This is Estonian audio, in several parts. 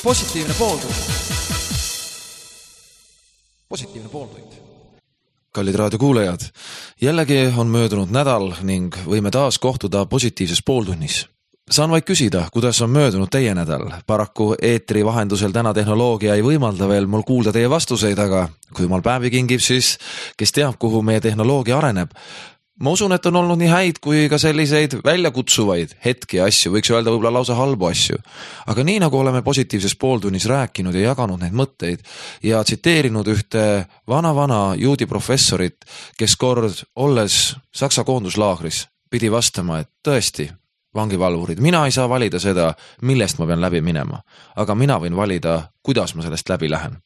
Positiivne pooltund. Positiivne pooltund. Kallid raadiokuulajad, jällegi on möödunud nädal ning võime taas kohtuda positiivses pooltunnis. Saan vaid küsida, kuidas on möödunud teie nädal. Paraku eetri vahendusel täna tehnoloogia ei võimalda veel mul kuulda teie vastuseid, aga kui mal päevi kingib, siis kes teab, kuhu meie tehnoloogia areneb. Ma usun, et on olnud nii häid kui ka selliseid väljakutsuvaid hetki asju, võiks öelda võib-olla lausa halbu asju. Aga nii nagu oleme positiivses pooltunnis rääkinud ja jaganud neid mõtteid ja tsiteerinud ühte vana juudi professorit, kes kord olles Saksa koonduslaagris pidi vastama, et tõesti, vangivalvurid, mina ei saa valida seda, millest ma pean läbi minema, aga mina võin valida, kuidas ma sellest läbi lähen.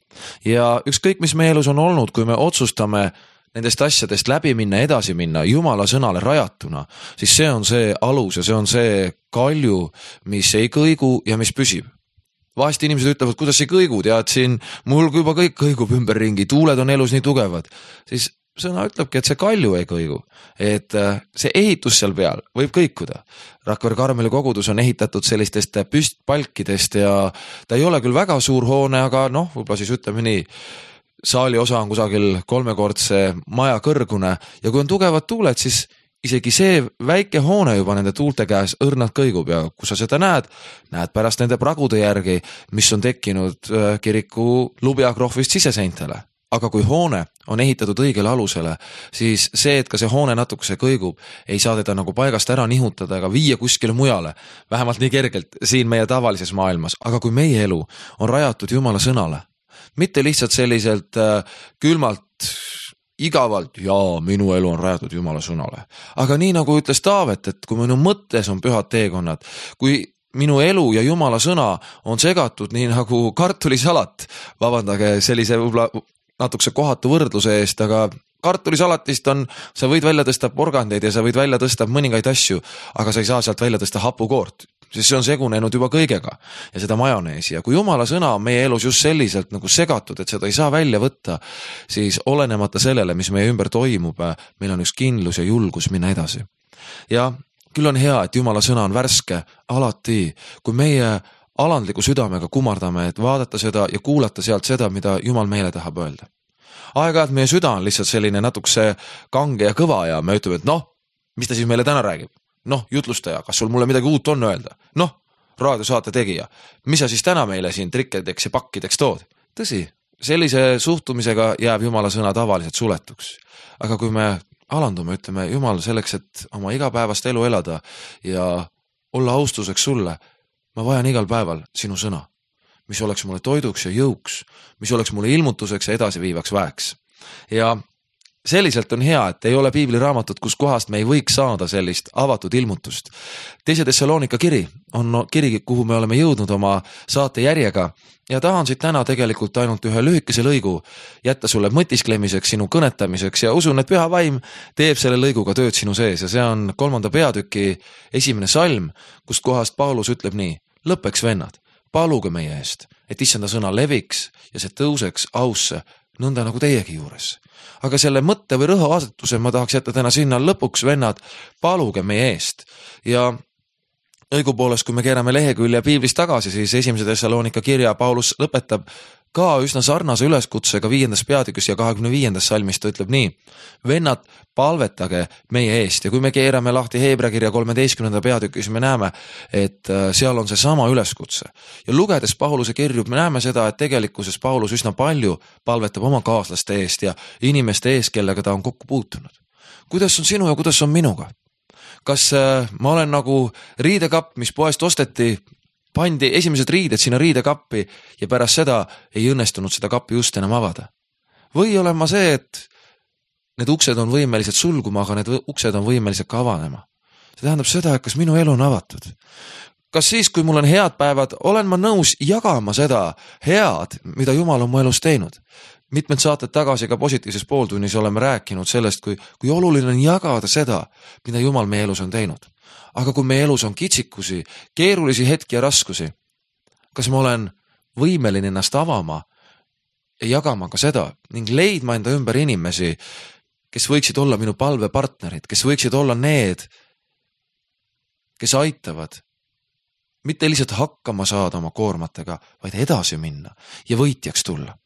Ja ükskõik, mis meie elus on olnud, kui me otsustame nendest asjadest läbi minna, edasi minna, Jumala sõnale rajatuna, siis see on see alus ja see on see kalju, mis ei kõigu ja mis püsib. Vahest inimesed ütlevad, kuidas ei kõigu, tead siin, mul juba kõik kõigub ümberringi, tuuled on elus nii tugevad, siis sõna ütlebki, et see kalju ei kõigu, et see ehitus seal peal võib kõikuda. Rakvere Karmeli kogudus on ehitatud sellistest püstpalkidest ja ta ei ole küll väga suur hoone, aga võib-olla siis ütleme nii, saali osa on kusagil 3-kordse maja kõrgune ja kui on tugevad tuuled, siis isegi see väike hoone juba nende tuulte käes õrnalt kõigub ja kui sa seda näed pärast nende pragude järgi, mis on tekkinud kiriku lubjakrohvist siseseintele. Aga kui hoone on ehitatud õigele alusele, siis see, et ka see hoone natukese kõigub, ei saa teda nagu paigast ära nihutada ega viia kuskile mujale, vähemalt nii kergelt siin meie tavalises maailmas. Aga kui meie elu on rajatud Jumala sõnale, mitte lihtsalt selliselt külmalt, igavalt, jaa, minu elu on rajatud Jumala sõnale. Aga nii nagu ütles Taavet, et kui minu mõttes on pühad teekonnad, kui minu elu ja Jumala sõna on segatud nii nagu kartulisalat, vabandage sellise võib-olla natukese kohatu võrdluse eest, aga kartulisalatist on, sa võid välja tõsta porgandeid ja sa võid välja tõsta mõningaid asju, aga sa ei saa sealt välja tõsta hapukoort, sest see on segunenud juba kõigega ja seda majoneesi. Ja kui Jumala sõna on meie elus just selliselt nagu segatud, et seda ei saa välja võtta, siis olenemata sellele, mis meie ümber toimub, meil on üks kindlus ja julgus minna edasi. Ja küll on hea, et Jumala sõna on värske alati, kui meie alandliku südamega kumardame, et vaadata seda ja kuulata sealt seda, mida Jumal meile tahab öelda. Aeg-ajalt meie süda on lihtsalt selline natukese kange ja kõva ja me ütleme, et mis ta siis meile täna räägib? Jutlustaja, kas sul mulle midagi uut on öelda? Raadiosaate tegija, mis sa siis täna meile siin trikkedeks ja pakkideks tood? Tõsi, sellise suhtumisega jääb Jumala sõna tavaliselt suletuks. Aga kui me alandume, ütleme Jumal selleks, et oma igapäevast elu elada ja olla austuseks sulle, ma vajan igal päeval sinu sõna, mis oleks mulle toiduks ja jõuks, mis oleks mulle ilmutuseks ja edasiviivaks väeks. Ja selliselt on hea, et ei ole piibliraamatut, kus kohast me ei võiks saada sellist avatud ilmutust. Teise Thessalonika kiri on kiri, kuhu me oleme jõudnud oma saate järjega ja tahan siit täna tegelikult ainult ühe lühikese lõigu jätta sulle mõtisklemiseks, sinu kõnetamiseks ja usun, et Püha Vaim teeb selle lõiguga tööd sinu sees ja see on 3. peatüki 1. salm, kust kohast Paulus ütleb nii: lõppeks vennad, paluge meie eest, et issanda sõna leviks ja see tõuseks ausse, nõnda nagu teiegi juures. Aga selle mõtte või rõhuasetuse ma tahaks jätta täna sinna lõpuks, vennad, paluge meie eest. Ja õigupoolest, kui me keerame lehekülje piiblist tagasi, siis 1. Thessalonika kirja Paulus lõpetab ka üsna sarnase üleskutsega 5. peatükis ja 25. salmis ta ütleb nii: vennad, palvetage meie eest. Ja kui me keerame lahti Heebrea kirja 13. peatükis, me näeme, et seal on see sama üleskutse. Ja lugedes Pauluse kirju, me näeme seda, et tegelikkuses Paulus üsna palju palvetab oma kaaslaste eest ja inimeste eest, kellega ta on kokku puutunud. Kuidas on sinu ja kuidas on minuga? Kas ma olen nagu riidekapp, mis poest osteti, pandi esimesed riided sinna riidekappi ja pärast seda ei õnnestunud seda kappi just enam avada? Või olen ma see, et need uksed on võimelised sulguma, aga need uksed on võimelised ka avanema? See tähendab seda, et kas minu elu on avatud? Kas siis, kui mul on head päevad, olen ma nõus jagama seda head, mida Jumal on mu elus teinud? Mitmed saated tagasi ka positiivses pooltunnis oleme rääkinud sellest, kui oluline on jagada seda, mida Jumal meie elus on teinud. Aga kui meie elus on kitsikusi, keerulisi hetki ja raskusi, kas ma olen võimeline ennast avama ja jagama ka seda ning leidma enda ümber inimesi, kes võiksid olla minu palvepartnerid, kes võiksid olla need, kes aitavad mitte lihtsalt hakkama saada oma koormatega, vaid edasi minna ja võitjaks tulla.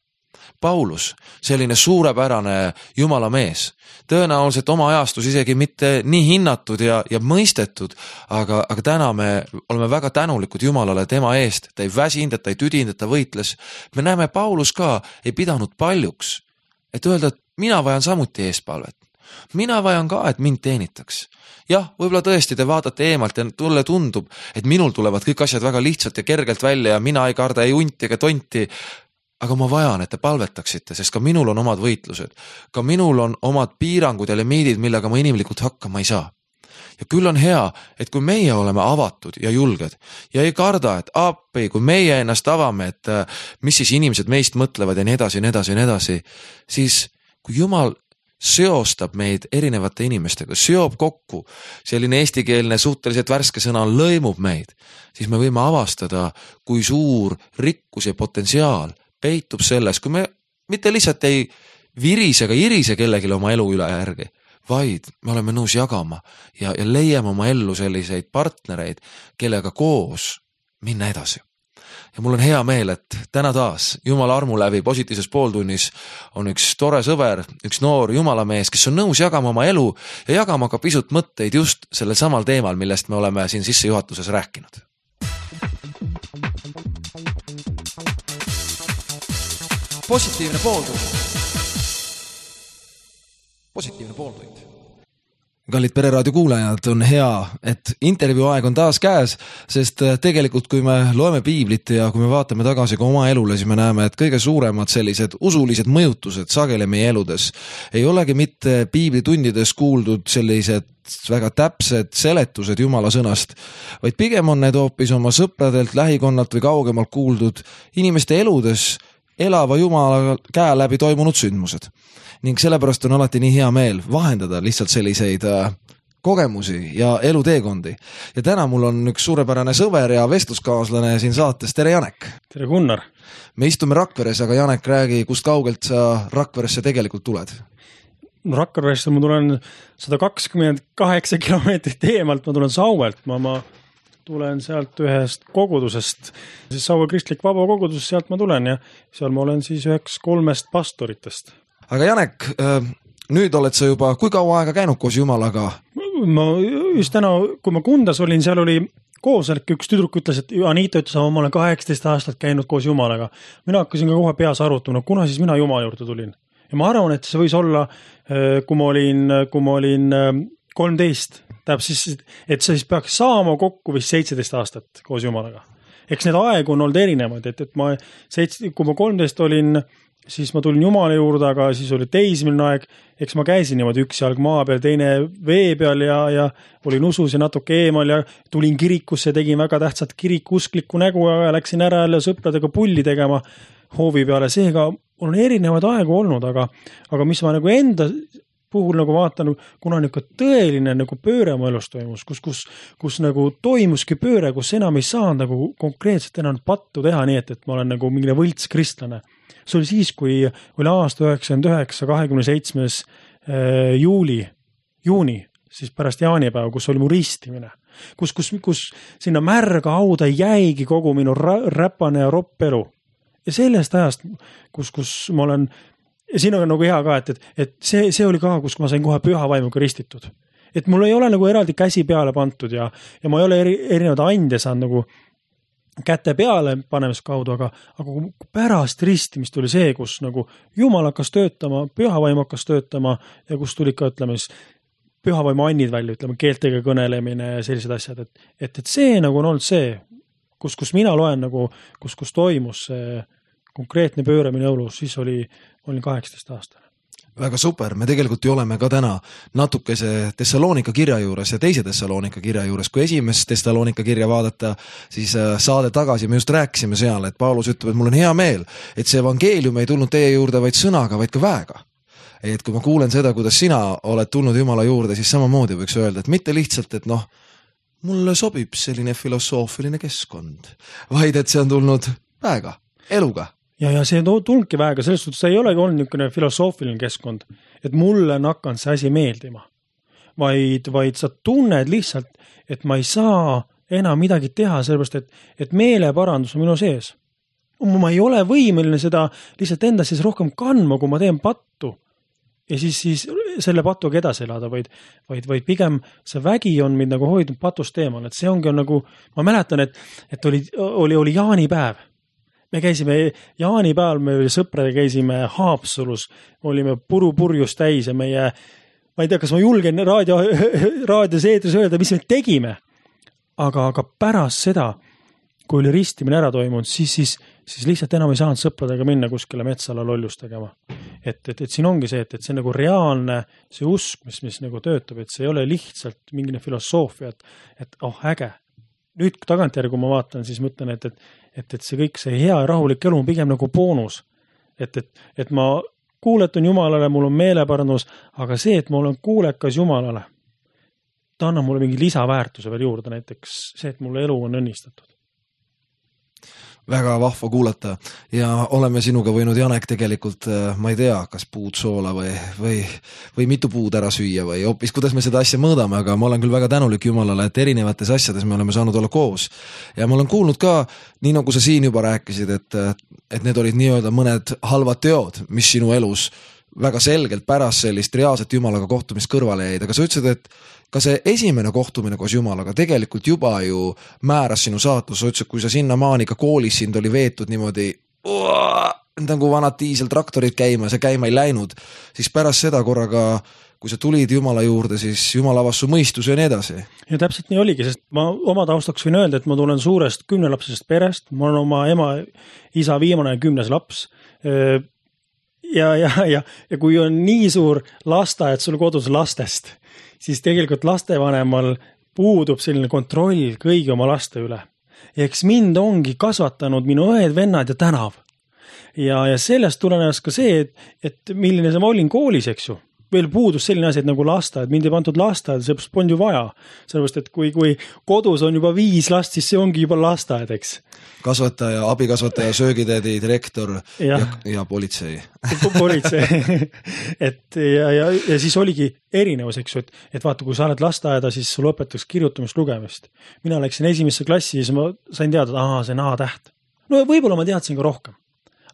Paulus, selline suurepärane Jumala mees, tõenäoliselt oma ajastus isegi mitte nii hinnatud ja mõistetud, aga täna me oleme väga tänulikud Jumalale tema eest, ta ei väsinud, ta ei tüdinud, ta võitles. Me näeme, Paulus ka ei pidanud paljuks, et öelda, et mina vajan samuti eespalvet. Mina vajan ka, et mind teenitaks. Jah, võib-olla tõesti te vaatate eemalt ja tulle tundub, et minul tulevad kõik asjad väga lihtsalt ja kergelt välja ja mina ei karda ei unti ega tonti. Aga ma vajan, et te palvetaksite, sest ka minul on omad võitlused. Ka minul on omad piirangud ja limiidid, millega ma inimlikult hakkama ei saa. Ja küll on hea, et kui meie oleme avatud ja julged ja ei karda, et appi, kui meie ennast avame, et mis siis inimesed meist mõtlevad ja nii edasi, siis kui Jumal seostab meid erinevate inimestega, seob kokku, selline eestikeelne suhteliselt värske sõna lõimub meid, siis me võime avastada, kui suur rikkus ja potentsiaal peitub selles, kui me mitte lihtsalt ei virise ega irise kellelegi oma elu üle järgi, vaid me oleme nõus jagama ja leiame oma ellu selliseid partnereid, kellega koos minna edasi. Ja mul on hea meel, et täna taas Jumala armu läbi positiivses pooltunnis on üks tore sõber, üks noor Jumala mees, kes on nõus jagama oma elu ja jagama ka pisut mõtteid just sellel samal teemal, millest me oleme siin sissejuhatuses rääkinud. Positiivne pooltund. Positiivne pooltund. Kallid Pereraadio kuulajad, on hea, et intervjuu aeg on taas käes, sest tegelikult kui me loeme piiblit ja kui me vaatame tagasi ka oma elule, siis me näeme, et kõige suuremad sellised usulised mõjutused sageli meie eludes ei olegi mitte piiblitundides kuuldud sellised väga täpsed seletused Jumala sõnast, vaid pigem on need hoopis oma sõpradelt, lähikonnalt või kaugemalt kuuldud inimeste eludes elava Jumala käe läbi toimunud sündmused. Ning sellepärast on alati nii hea meel vahendada lihtsalt selliseid kogemusi ja eluteekondi. Ja täna mul on üks suurepärane sõber ja vestluskaaslane siin saates. Tere Janek! Tere Gunnar! Me istume Rakveres, aga Janek, räägi, kust kaugelt sa Rakveresse tegelikult tuled? No Rakveresse ma tulen 128 kilomeetrit eemalt, ma tulen Sauelt, ma tulen sealt ühest kogudusest, siis Saue kristlik vaba kogudus, sealt ma tulen ja seal ma olen siis üheks 3 pastoritest. Aga Janek, nüüd oled sa juba kui kaua aega käinud koos Jumalaga? Ma just täna, kui ma Kundas olin, seal oli koosolek, üks tüdruk ütles, et Anita ütles, ma olen 18 aastat käinud koos Jumalaga. Mina hakkasin ka kohe peas arutama, kuna siis mina Jumala juurde tulin. Ja ma arvan, et see võis olla, kui ma olin 13, tähendab siis, et see siis peaks saama kokku vist 17 aastat koos Jumalaga. Eks need aegu on olnud erinevad, et kui ma 13 olin, siis ma tulin Jumala juurde, aga siis oli teismeline aeg, eks ma käisin niimoodi üks jalg maa peal, teine vee peal ja olin usus ja natuke eemal ja tulin kirikusse, tegin väga tähtsat kirikuusklikku nägu ja läksin ära jälle sõpradega pulli tegema hoovi peale. Seega on erinevad aegu olnud, aga mis ma nagu enda puhul nagu vaatan, kuna tõeline nagu pööre mu elus toimus, kus nagu toimuski pööre, kus enam ei saa nagu konkreetselt enam pattu teha nii, et ma olen nagu mingine võlts kristlane. See oli siis, kui oli aasta 99, 27. juuni, siis pärast jaanipäeva, kus oli mu ristimine, kus sinna märga hauda jäigi kogu minu räpane ja ropp elu. Ja sellest ajast, kus ma olen, ja siin on nagu hea ka, et see oli ka, kus ma sain kohe püha vaimuga ristitud. Et mul ei ole nagu eraldi käsi peale pantud ja ma ei ole erinevad ande saanud nagu käte peale panemise kaudu, aga pärast ristimist oli see, kus nagu Jumal hakkas töötama, pühavaim hakkas töötama ja kus tuli ka, ütleme, pühavaimu annid välja, ütleme, keeltega kõnelemine ja sellised asjad, et see nagu on olnud see, kus mina loen nagu, kus toimus see konkreetne pööramine elus, siis olin 18 aastane. Väga super, me tegelikult ju oleme ka täna natukese Tessaloonika kirja juures ja teise Tessaloonika kirja juures. Kui esimest Tessaloonika kirja vaadata, siis saade tagasi me just rääkisime seal, et Paulus ütleb, et mul on hea meel, et see evangeelium ei tulnud teie juurde vaid sõnaga, vaid ka väega. Et kui ma kuulen seda, kuidas sina oled tulnud Jumala juurde, siis samamoodi võiks öelda, et mitte lihtsalt, et mulle sobib selline filosoofiline keskkond, vaid et see on tulnud väega, eluga. Ja see tulnudki väega, selles suhtes see ei olegi olnud niisugune filosoofiline keskkond, et mulle on hakanud see asi meeldima, vaid sa tunned lihtsalt, et ma ei saa enam midagi teha, sellepärast, et meeleparandus on minu sees. Ma ei ole võimeline seda lihtsalt enda siis rohkem kandma, kui ma teen pattu. Ja siis selle patuga edasi elada, vaid pigem see vägi on mind nagu hoidnud patust eemal, et see ongi nagu, ma mäletan, et oli jaanipäev. Me käisime jaanipäeval, me sõpradega käisime Haapsalus, olime purjus täis ja meie, ma ei tea, kas ma julgen raadios eetris öelda, mis me tegime, aga pärast seda, kui oli ristimine ära toimunud, siis lihtsalt enam ei saanud sõpradega minna kuskile metsala lollust tegema. Et siin ongi see, et see on nagu reaalne see usk, mis nagu töötab, et see ei ole lihtsalt mingine filosoofia, et äge. Nüüd tagantjärgi, kui ma vaatan, siis mõtlen, et see kõik, see hea ja rahulik elu on pigem nagu boonus. Et ma kuuletun Jumalale, mul on meeleparandus, aga see, et ma olen kuulekas Jumalale, ta annab mulle mingi lisaväärtuse veel juurde, näiteks see, et mulle elu on õnnistatud. Väga vahva kuulata ja oleme sinuga võinud, Janek, tegelikult, ma ei tea, kas puud soola või mitu puud ära süüa või hoopis, kuidas me seda asja mõõdame, aga ma olen küll väga tänulik Jumalale, et erinevates asjades me oleme saanud olla koos. Ja ma olen kuulnud ka, nii nagu sa siin juba rääkisid, et need olid nii-öelda mõned halvad teod, mis sinu elus väga selgelt pärast sellist reaalset Jumalaga kohtumist kõrvale jäid, aga sa ütlesid, et ka see esimene kohtumine koos Jumalaga tegelikult juba ju määras sinu saatus, sa ütlesid, kui sa sinna maani ka koolis sind oli veetud niimoodi nagu vanad diiseltraktorid käima, see käima ei läinud, siis pärast seda korraga, kui sa tulid Jumala juurde, siis Jumal avas su mõistuse ja nii edasi. Ja täpselt nii oligi, sest ma oma taustaks võin öelda, et ma tulen suurest 10-lapsesest perest, ma olen oma ema, isa viimane 10. laps. Ja kui on nii suur lasteaed sul kodus lastest, siis tegelikult lastevanemal puudub selline kontroll kõigi oma laste üle. Ja eks mind ongi kasvatanud minu õed, vennad ja tänav. Ja sellest tulenes ka see, et milline ma olin koolis, eks ju. Veel puudus selline asi, et nagu lasteaed, mind ei pandud lasteaed, see on ju vaja. Sellepärast, et kui kodus on juba 5 last, siis see ongi juba lasteaed, eks. Kasvataja, abikasvataja, söögitädi, direktor ja politsei. Politsei. Ja siis oligi erinevus, eks ju, et vaata, kui sa oled lasteaeda, siis sul õpetaks kirjutamist, lugemist. Mina läksin esimesse klassi ja siis ma sain teada, et see on A-täht. No võib-olla ma teadsin ka rohkem.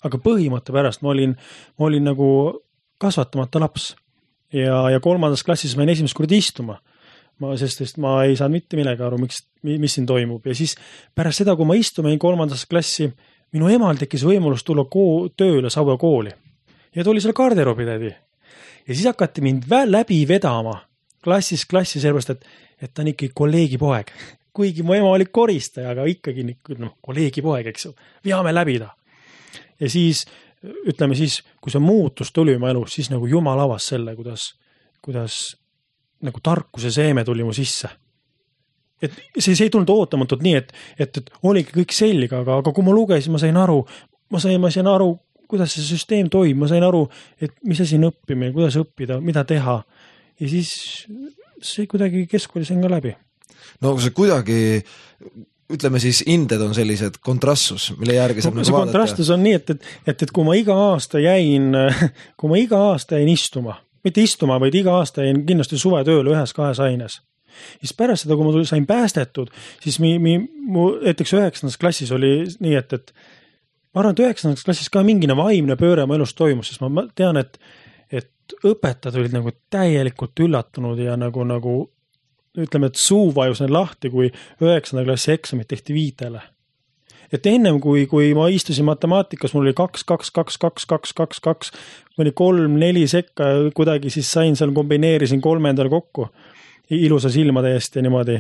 Aga põhimõtte pärast ma olin nagu kasvatamata laps. Ja 3. klassis ma esimest korda istuma. Sest ma ei saanud mitte millegi aru, mis siin toimub. Ja siis pärast seda, kui ma istumein 3. klassi, minu emal tekkis võimalus tulla tööle Saue kooli. Ja ta oli seal garderoobitädi. Ja siis hakati mind läbi vedama klassis, sellepärast, et ta on ikkagi kolleegi poeg. Kuigi mu ema oli koristaja, aga ikkagi kolleegi poeg, eks ju. Veame läbi ta. Ja siis ütleme siis, kui see muutus tuli oma elus, siis nagu Jumal avas selle, kuidas nagu tarkuse seeme tuli mu sisse. Et see ei tulnud ootamatult nii, et oligi kõik selge, aga kui ma lugesin, ma sain aru, kuidas see süsteem toimub, ma sain aru, et mis asi on õppimine, kuidas õppida, mida teha. Ja siis see kuidagi keskkooli sain ka läbi. No see kuidagi, ütleme siis, inded on sellised kontrastus, mille järgi saab nagu vaadata. See kontrastus on nii, et kui ma iga aasta jäin istuma, mitte istuma, vaid iga aasta jäin kindlasti suvetööle 1-2 aines. Siis pärast seda, kui ma sain päästetud, siis näiteks 9. klassis oli nii, et ma arvan, et 9. klassis ka mingine vaimne pööre oma elus toimus, sest ma tean, et õpetajad olid nagu täielikult üllatunud ja nagu ütleme, et suu vajus need lahti, kui 9. klassi eksamit tehti 5. Et ennem, kui ma istusin matemaatikas, mul oli 2, 2, 2, 2, 2, 2, 2, mõni 3, 4 sekka, kuidagi siis sain seal, kombineerisin 3 kokku, ilusa silmade eest ja niimoodi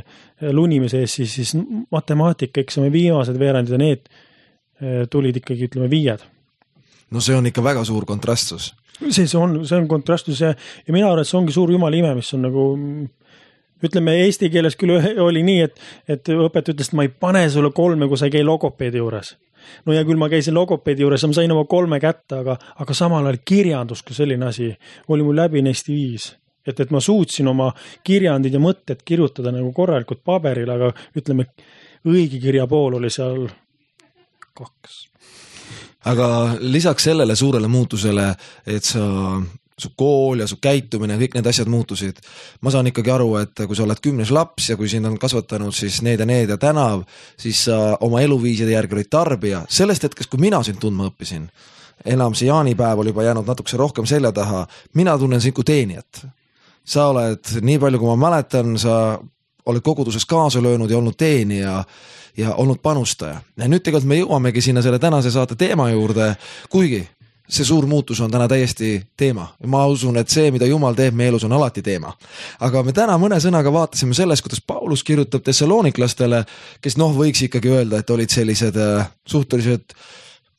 lunimise eest, siis matemaatika eksami viimased veerandid ja need tulid ikkagi, ütleme, 5. No see on ikka väga suur kontrastus. See on kontrastus ja mina arvan, et see ongi suur Jumala ime, mis on nagu ütleme, eesti keeles küll oli nii, et õpetaja ütles, et ma ei pane sulle 3, kui sa ei käi logopeedi juures. No ja küll ma käisin logopeedi juures, ma sain oma 3 kätte, aga samal ajal kirjandus, kui selline asi oli mul läbi neist 5. Et ma suutsin oma kirjandid ja mõtted kirjutada nagu korralikult paberil, aga ütleme, õige kirja pool oli seal 2. Aga lisaks sellele suurele muutusele, et sa su kool ja su käitumine, kõik need asjad muutusid. Ma saan ikkagi aru, et kui sa oled 10. laps ja kui sind on kasvatanud siis need ja tänav, siis sa oma eluviiside järgi olid tarbija. Sellest hetkest, kui mina sind tundma õppisin, enam see jaanipäev oli juba jäänud natukese rohkem selja taha, mina tunnen sind kui teenijat. Sa oled, nii palju kui ma mäletan, sa oled koguduses kaasa löönud ja olnud teenija ja olnud panustaja. Ja nüüd tegelikult me jõuamegi sinna selle tänase saate teema juurde, kuigi see suur muutus on täna täiesti teema. Ma usun, et see, mida Jumal teeb meie elus, on alati teema. Aga me täna mõne sõnaga vaatasime sellest, kuidas Paulus kirjutab Thessaloniklastele, kes võiks ikkagi öelda, et olid sellised suhteliselt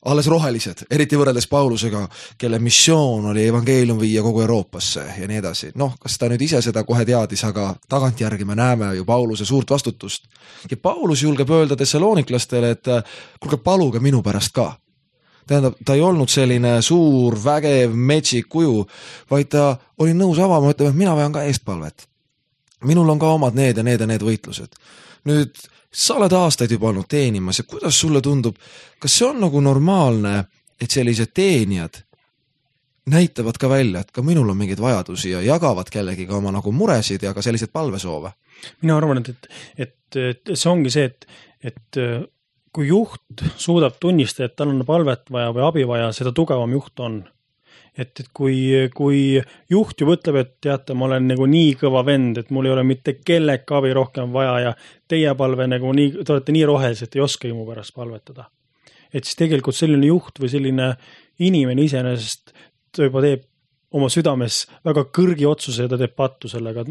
alles rohelised, eriti võrreldes Paulusega, kelle missioon oli evangeelium viia kogu Euroopasse ja nii edasi. Kas ta nüüd ise seda kohe teadis, aga tagantjärgi me näeme ju Pauluse suurt vastutust. Ja Paulus julgeb öelda Thessaloniklastele, et kuulge, paluge minu pärast ka. Tähendab, ta ei olnud selline suur, vägev, metsik kuju, vaid ta oli nõus avama, ütlema, et mina vajan ka eestpalvet. Minul on ka omad need ja need võitlused. Nüüd, sa oled aastaid juba olnud teenimas ja kuidas sulle tundub, kas see on nagu normaalne, et sellised teenijad näitavad ka välja, et ka minul on mingeid vajadusi ja jagavad kellegi ka oma nagu muresid ja ka sellised palvesoove? Mina arvan, et see ongi see, et kui juht suudab tunnistada, et tal on palvet vaja või abi vaja, seda tugevam juht on. Et kui juht ju mõtleb, et teate, ma olen nagu nii kõva vend, et mul ei ole mitte kellegi abi rohkem vaja ja teie palve nagu te olete nii rohelised, et ei oskagi mu pärast palvetada. Et siis tegelikult selline juht või selline inimene iseenesest ta juba teeb oma südames väga kõrgi otsuse ja ta teeb pattu sellega.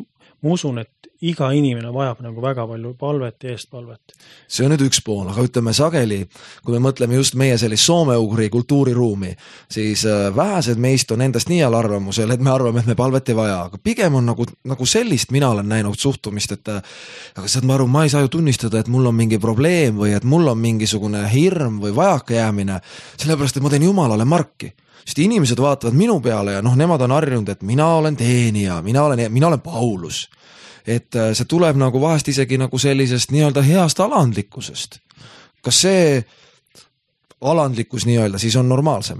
Ma usun, et iga inimene vajab nagu väga palju palvet ja eestpalvet. See on nüüd üks pool, aga ütleme sageli, kui me mõtleme just meie sellist soome-ugri kultuuriruumi, siis vähesed meist on endast nii all arvamusel, et me arvame, et me palvet ei vaja, aga pigem on nagu sellist mina olen näinud suhtumist, et aga saad ma aru, ma ei saa ju tunnistada, et mul on mingi probleem või et mul on mingisugune hirm või vajaka jäämine, sellepärast, et ma teen Jumalale marki. Sest inimesed vaatavad minu peale ja nemad on harjunud, et mina olen teenija, mina olen Paulus. Et see tuleb nagu vahest isegi nagu sellisest nii-öelda heast alandlikkusest. Kas see alandlikkus nii-öelda siis on normaalsem?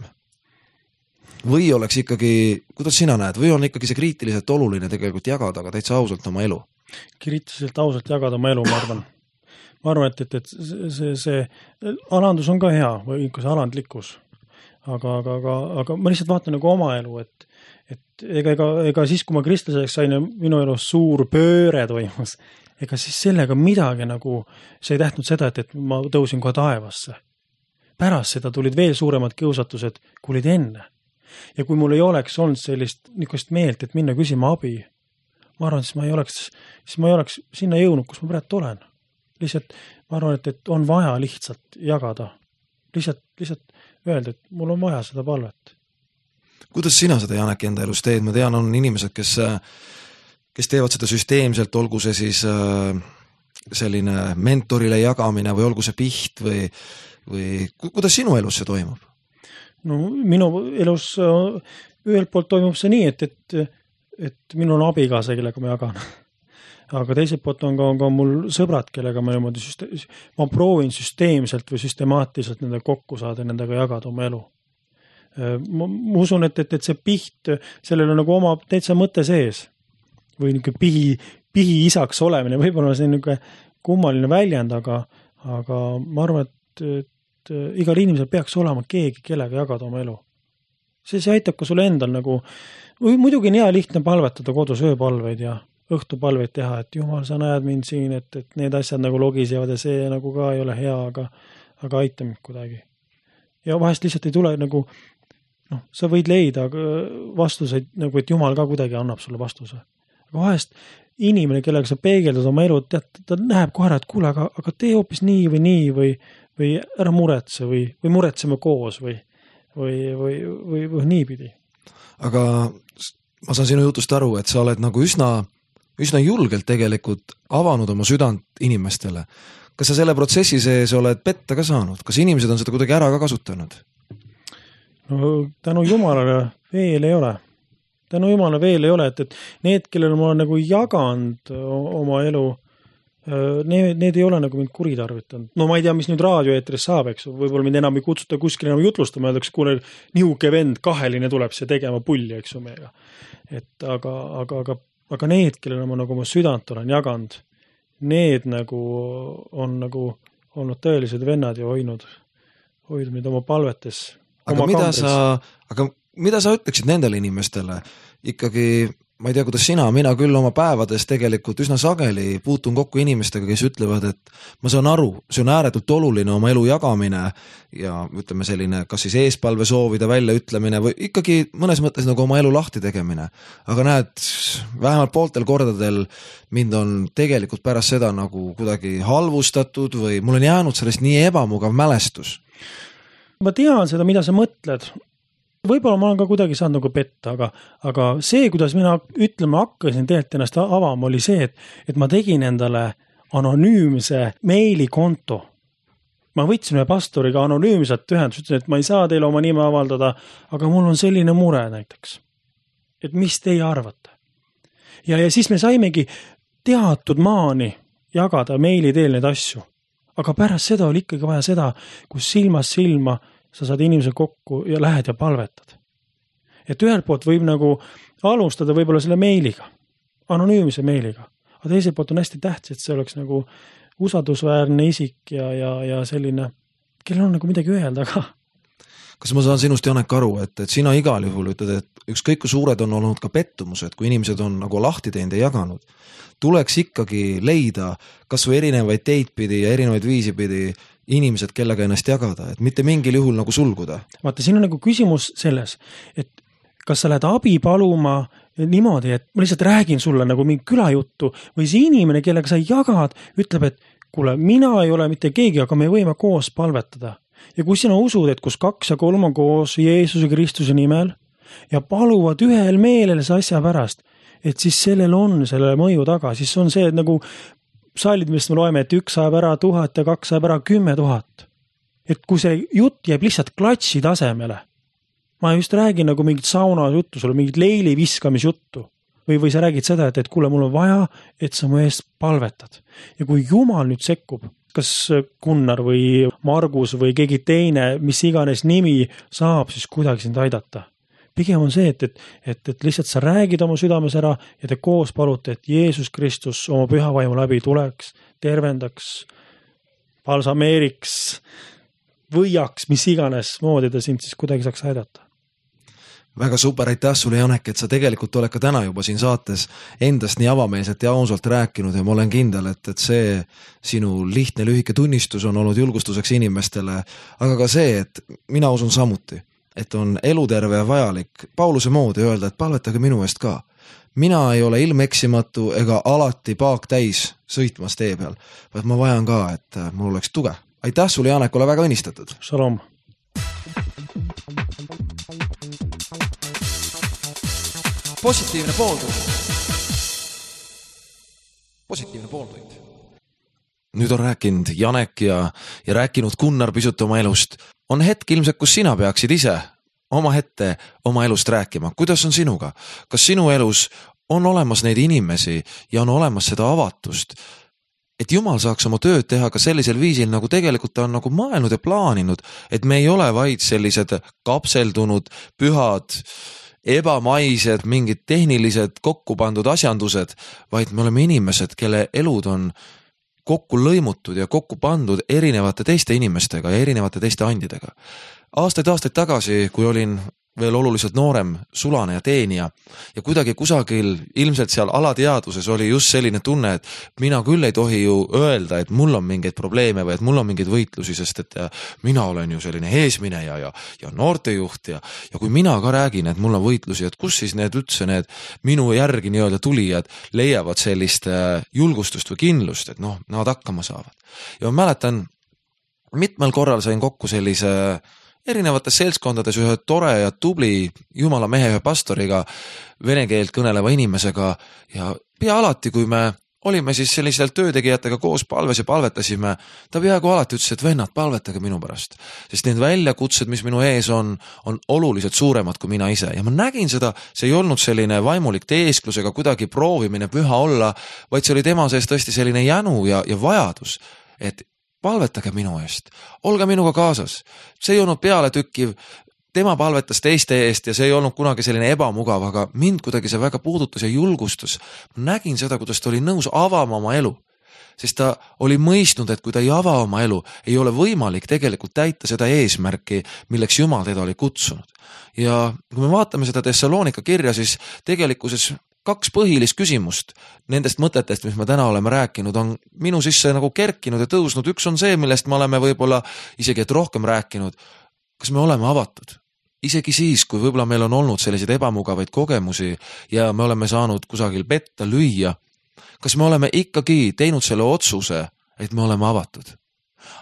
Või oleks ikkagi, kuidas sina näed, või on ikkagi see kriitiliselt oluline tegelikult jagada, aga täitsa ausalt oma elu? Kriitiliselt ausalt jagada oma elu, ma arvan. Ma arvan, et see alandus on ka hea või ikka see alandlikkus. Aga ma lihtsalt vaatan nagu oma elu, et ega siis, kui ma kristlaseks sain ja minu elus suur pööre toimus, ega siis sellega midagi nagu, see ei tähtnud seda, et ma tõusin kohe taevasse. Pärast seda tulid veel suuremad kiusatused, kui olid enne. Ja kui mul ei oleks olnud sellist niisugust meelt, et minna küsima abi, ma arvan, siis ma ei oleks sinna jõudnud, kus ma praegu olen. Lihtsalt ma arvan, et on vaja lihtsalt jagada. Lihtsalt öelda, et mul on vaja seda palvet. Kuidas sina seda, Janek, enda elus teed? Ma tean, on inimesed, kes teevad seda süsteemselt, olgu see siis selline mentorile jagamine või olgu see piht või kuidas sinu elus see toimub? No minu elus ühelt poolt toimub see nii, et minul on abikaasa, kellega ma jagan. Aga teiselt poolt on ka mul sõbrad, kellega ma proovin süsteemselt või süstemaatiliselt nendega kokku saada ja nendega jagada oma elu. Ma usun, et see piht, sellel on nagu oma täitsa mõte sees või pihi isaks olemine, võib-olla see on niisugune kummaline väljend, aga ma arvan, et igal inimesel peaks olema keegi, kellega jagada oma elu. See aitab ka sulle endal nagu, muidugi on hea lihtne palvetada kodus ööpalveid ja õhtupalveid teha, et Jumal, sa näed mind siin, et need asjad nagu logisevad ja see nagu ka ei ole hea, aga aita mind kuidagi. Ja vahest lihtsalt ei tule nagu, sa võid leida vastuseid, nagu et Jumal ka kuidagi annab sulle vastuse. Aga vahest inimene, kellega sa peegeldad oma elu, ta näeb kohe, et kuule, aga tee hoopis nii või nii või ära muretse või muretseme koos või niipidi. Aga ma saan sinu jutust aru, et sa oled nagu üsna julgelt tegelikult avanud oma südant inimestele. Kas sa selle protsessi sees oled petta ka saanud? Kas inimesed on seda kuidagi ära ka kasutanud? No tänu Jumalale veel ei ole. Et need, kellel ma olen nagu jaganud oma elu, Need ei ole nagu mind kuritarvitanud. No ma ei tea, mis nüüd raadioeetris saab, eks. Võib-olla mind enam ei kutsuta kuskil enam jutlustama, öeldakse, kuule, nihuke vend, kaheline tuleb see tegema pulli, eks meiega. Et aga need, kellele ma nagu oma südant olen jaganud, need nagu on nagu olnud tõelised vennad ja hoidnud mind oma palvetes. Aga mida sa ütleksid nendele inimestele? Ikkagi, ma ei tea, kuidas mina küll oma päevades tegelikult üsna sageli puutun kokku inimestega, kes ütlevad, et ma saan aru, see on ääretult oluline oma elu jagamine ja ütleme selline, kas siis eespalve soovida välja ütlemine või ikkagi mõnes mõttes nagu oma elu lahti tegemine. Aga näed, vähemalt pooltel kordadel mind on tegelikult pärast seda nagu kuidagi halvustatud või mul on jäänud sellest nii ebamugav mälestus. Ma tean seda, mida sa mõtled. Võib-olla ma olen ka kuidagi saanud nagu petta, aga see, kuidas mina ütlema hakkasin tegelikult ennast avama, oli see, et ma tegin endale anonüümse meilikonto. Ma võtsin ühe pastoriga anonüümset ühendust, ütlesin, et ma ei saa teile oma nime avaldada, aga mul on selline mure näiteks. Et mis teie arvate? Ja siis me saimegi teatud maani jagada meili teel neid asju. Aga pärast seda oli ikkagi vaja seda, kus silmast silma sa saad inimese kokku ja lähed ja palvetad. Et ühelt poolt võib nagu alustada võib-olla selle meiliga, anonüümse meiliga. Aga teiselt poolt on hästi tähtis, et see oleks nagu usaldusväärne isik ja selline, kellel on nagu midagi öelda ka. Kas ma saan sinust, Janek, aru, et sina igal juhul ütled, et ükskõik kui suured on olnud ka pettumused, kui inimesed on nagu lahti teinud ja jaganud, tuleks ikkagi leida kas või erinevaid teid pidi ja erinevaid viisi pidi inimesed, kellega ennast jagada, et mitte mingil juhul nagu sulguda. Vaata, siin on nagu küsimus selles, et kas sa lähed abi paluma niimoodi, et ma lihtsalt räägin sulle nagu mingi külajuttu või see inimene, kellega sa jagad, ütleb, et kuule, mina ei ole mitte keegi, aga me võime koos palvetada. Ja kui sina usud, et kus 2 ja 3 on koos Jeesuse Kristuse nimel ja paluvad ühel meelel see asja pärast, et siis sellel on selle mõju taga, siis on see, et nagu saalid, millest me loeme, et 1 saab ära 1000 ja 2 saab ära 10 000. Et kui see jutt jääb lihtsalt klatsi tasemele, ma just räägin nagu mingit sauna juttu, sul on mingit leili viskamisjuttu või sa räägid seda, et kuule, mul on vaja, et sa mu eest palvetad. Ja kui Jumal nüüd sekkub, kas Gunnar või Margus või keegi teine, mis iganes nimi saab, siis kuidagi sind aidata. Pigem on see, et lihtsalt sa räägid oma südames ära ja te koos palute, et Jeesus Kristus oma püha vaimu läbi tuleks, tervendaks, balsameeriks, võiaks, mis iganes moodi ta sind siis kuidagi saaks aidata. Väga super, aitäh sulle, Janek, et sa tegelikult oled ka täna juba siin saates endast nii avameelselt ja ausalt rääkinud ja ma olen kindel, et see sinu lihtne lühike tunnistus on olnud julgustuseks inimestele, aga ka see, et mina usun samuti, et on eluterve ja vajalik Pauluse moodi öelda, et palvetage minu eest ka. Mina ei ole ilmeksimatu ega alati paak täis sõitmas tee peal, vaid ma vajan ka, et mul oleks tuge. Aitäh sulle, Janek, ole väga õnnistatud. Shalom. Positiivne pooltund. Positiivne pooltund. Nüüd on rääkinud Janek ja rääkinud Gunnar pisut oma elust. On hetk ilmselt, kus sina peaksid ise oma hetke oma elust rääkima. Kuidas on sinuga? Kas sinu elus on olemas neid inimesi ja on olemas seda avatust, et Jumal saaks oma tööd teha ka sellisel viisil, nagu tegelikult ta on nagu mõelnud ja plaaninud, et me ei ole vaid sellised kapseldunud, pühad, ebamaised, mingid tehnilised kokku pandud asjandused, vaid me oleme inimesed, kelle elud on kokku lõimutud ja kokku pandud erinevate teiste inimestega ja erinevate teiste andidega. Aastaid tagasi, kui olin veel oluliselt noorem sulane ja teenija ja kuidagi kusagil ilmselt seal alateadvuses oli just selline tunne, et mina küll ei tohi ju öelda, et mul on mingeid probleeme või et mul on mingeid võitlusi, sest et mina olen ju selline eesmineja ja noortejuht ja kui mina ka räägin, et mul on võitlusi, et kus siis need üldse need minu järgi nii-öelda tulijad leiavad sellist julgustust või kindlust, et nad hakkama saavad. Ja ma mäletan, mitmel korral sain kokku sellise erinevates seltskondades ühe tore ja tubli jumala mehe ühe pastoriga, vene keelt kõneleva inimesega ja pea alati, kui me olime siis sellistel töötegijatega koos palves ja palvetasime, ta peaaegu alati ütles, et vennad, palvetage minu pärast. Sest need väljakutsed, mis minu ees on oluliselt suuremad kui mina ise. Ja ma nägin seda, see ei olnud selline vaimulik teesklusega kuidagi proovimine püha olla, vaid see oli tema sees tõesti selline jänu ja vajadus, et palvetage minu eest, olge minuga kaasas. See ei olnud pealetükkiv, tema palvetas teiste eest ja see ei olnud kunagi selline ebamugav, aga mind kuidagi see väga puudutas ja julgustus. Ma nägin seda, kuidas ta oli nõus avama oma elu, sest ta oli mõistnud, et kui ta ei ava oma elu, ei ole võimalik tegelikult täita seda eesmärki, milleks Jumal teda oli kutsunud. Ja kui me vaatame seda Thessalonika kirja, siis tegelikkuses 2 põhilist küsimust nendest mõtetest, mis me täna oleme rääkinud, on minu sisse nagu kerkinud ja tõusnud. Üks on see, millest me oleme võib-olla isegi et rohkem rääkinud. Kas me oleme avatud? Isegi siis, kui võib-olla meil on olnud selliseid ebamugavaid kogemusi ja me oleme saanud kusagil petta lüüa, kas me oleme ikkagi teinud selle otsuse, et me oleme avatud?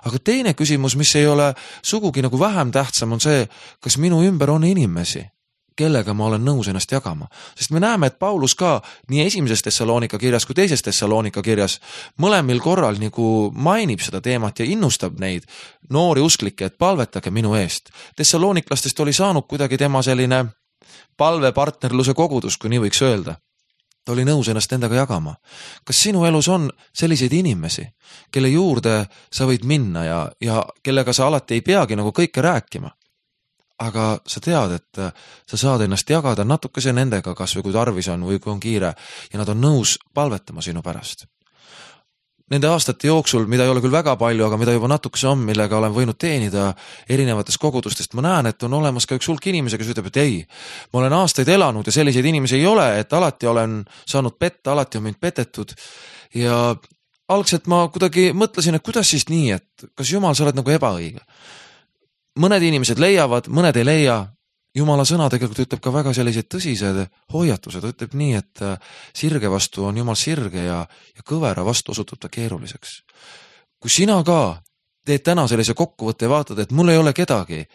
Aga teine küsimus, mis ei ole sugugi nagu vähem tähtsam, on see, kas minu ümber on inimesi, kellega ma olen nõus ennast jagama. Sest me näeme, et Paulus ka nii esimeses Thessalonika kirjas kui teises Thessalonika kirjas mõlemil korral nagu mainib seda teemat ja innustab neid noori usklikke, et palvetage minu eest. Thessaloniklastest oli saanud kuidagi tema selline palvepartnerluse kogudus, kui nii võiks öelda. Ta oli nõus ennast endaga jagama. Kas sinu elus on selliseid inimesi, kelle juurde sa võid minna ja kellega sa alati ei peagi nagu kõike rääkima? Aga sa tead, et sa saad ennast jagada natukese nendega, kas või kui tarvis on või kui on kiire ja nad on nõus palvetama sinu pärast. Nende aastate jooksul, mida ei ole küll väga palju, aga mida juba natukese on, millega olen võinud teenida erinevatest kogudustest, ma näen, et on olemas ka üks hulk inimesi, kes ütleb, et ei, ma olen aastaid elanud ja selliseid inimesi ei ole, et alati olen saanud petta, alati on mind petetud ja algselt ma kuidagi mõtlesin, et kuidas siis nii, et kas Jumal, sa oled nagu ebaõige. Mõned inimesed leiavad, mõned ei leia. Jumala sõna tegelikult ütleb ka väga sellised tõsised hoiatused. Ütleb nii, et sirge vastu on Jumal sirge ja kõvera vastu osutub ta keeruliseks. Kui sina ka teed täna sellise kokkuvõtte ja vaatad, et mul ei ole kedagi,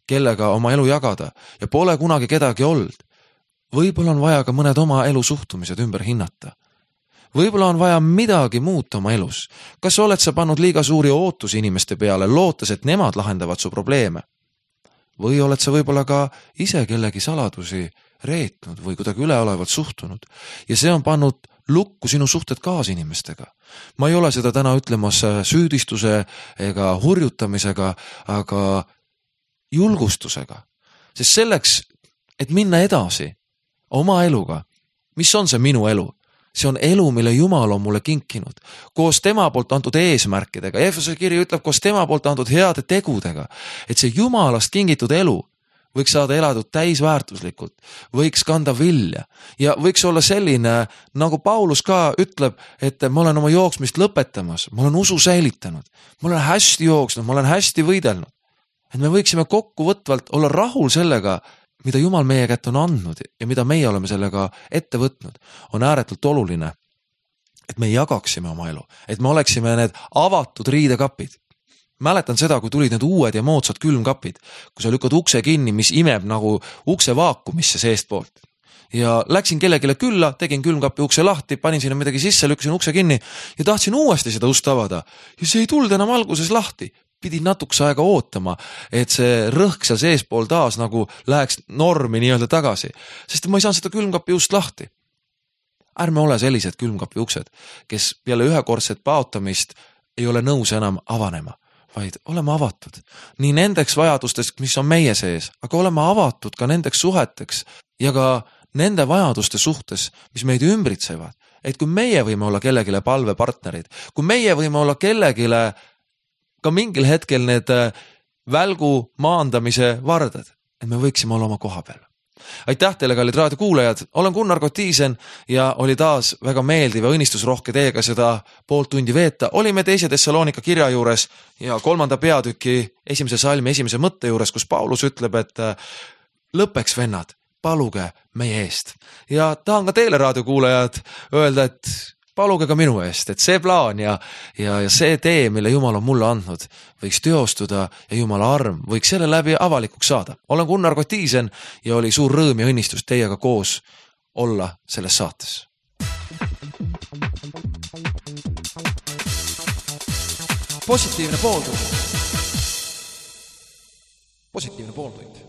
kellega oma elu jagada ja pole kunagi kedagi olnud, võib-olla on vaja ka mõned oma elu suhtumised ümber hinnata. Võib-olla on vaja midagi muuta oma elus. Kas oled sa pannud liiga suuri ootusi inimeste peale, lootes, et nemad lahendavad su probleeme? Või oled sa võib-olla ka ise kellegi saladusi reetnud või kuidagi üleolevalt suhtunud? Ja see on pannud lukku sinu suhted kaasinimestega. Ma ei ole seda täna ütlemas süüdistuse ega hurjutamisega, aga julgustusega. Sest selleks, et minna edasi oma eluga, mis on see minu elu? See on elu, mille Jumal on mulle kinkinud. Koos tema poolt antud eesmärkidega. Efesuse kiri ütleb koos tema poolt antud heade tegudega. Et see Jumalast kingitud elu võiks saada elatud täisväärtuslikult. Võiks kanda vilja. Ja võiks olla selline, nagu Paulus ka ütleb, et ma olen oma jooksmist lõpetamas. Ma olen usu säilitanud. Ma olen hästi jooksnud, ma olen hästi võidelnud. Et me võiksime kokkuvõtvalt olla rahul sellega, mida Jumal meie kätte on andnud ja mida meie oleme sellega ette võtnud, on ääretult oluline, et me jagaksime oma elu, et me oleksime need avatud riidekapid. Mäletan seda, kui tulid need uued ja moodsad külmkapid, kui sa lükkad ukse kinni, mis imeb nagu ukse vaakumisse seest poolt. Ja läksin kellegile külla, tegin külmkapi ukse lahti, panin sinna midagi sisse, lükkasin ukse kinni ja tahtsin uuesti seda ust avada. Ja see ei tulnud enam alguses lahti. Pidin natukese aega ootama, et see rõhk seal seespool taas nagu läheks normi nii-öelda tagasi, sest ma ei saanud seda külmkapi ust lahti. Ärme ole sellised külmkapi uksed, kes peale ühekordset paotamist ei ole nõus enam avanema, vaid oleme avatud nii nendeks vajadustest, mis on meie sees, aga oleme avatud ka nendeks suheteks ja ka nende vajaduste suhtes, mis meid ümbritsevad. Et kui meie võime olla kellegile palvepartnerid, kui meie võime olla kellegile ka mingil hetkel need välgu maandamise vardad, et me võiksime olla oma koha peal. Aitäh teile, kallid raadiokuulajad, olen Gunnar Kotiisen ja oli taas väga meeldiv ja õnnistusrohke teiega seda poolt tundi veeta. Olime teise Thessalonika kirja juures ja 3. peatüki 1. salmi 1. mõtte juures, kus Paulus ütleb, et lõppeks vennad, paluge meie eest. Ja tahan ka teile raadiokuulajad öelda, et paluge ka minu eest, et see plaan ja see tee, mille Jumal on mulle andnud, võiks teostuda ja Jumala arm võiks selle läbi avalikuks saada. Olen Gunnar Kotiisen ja oli suur rõõm ja õnnistus teiega koos olla selles saates. positiivne pooltund. positiivne pooltund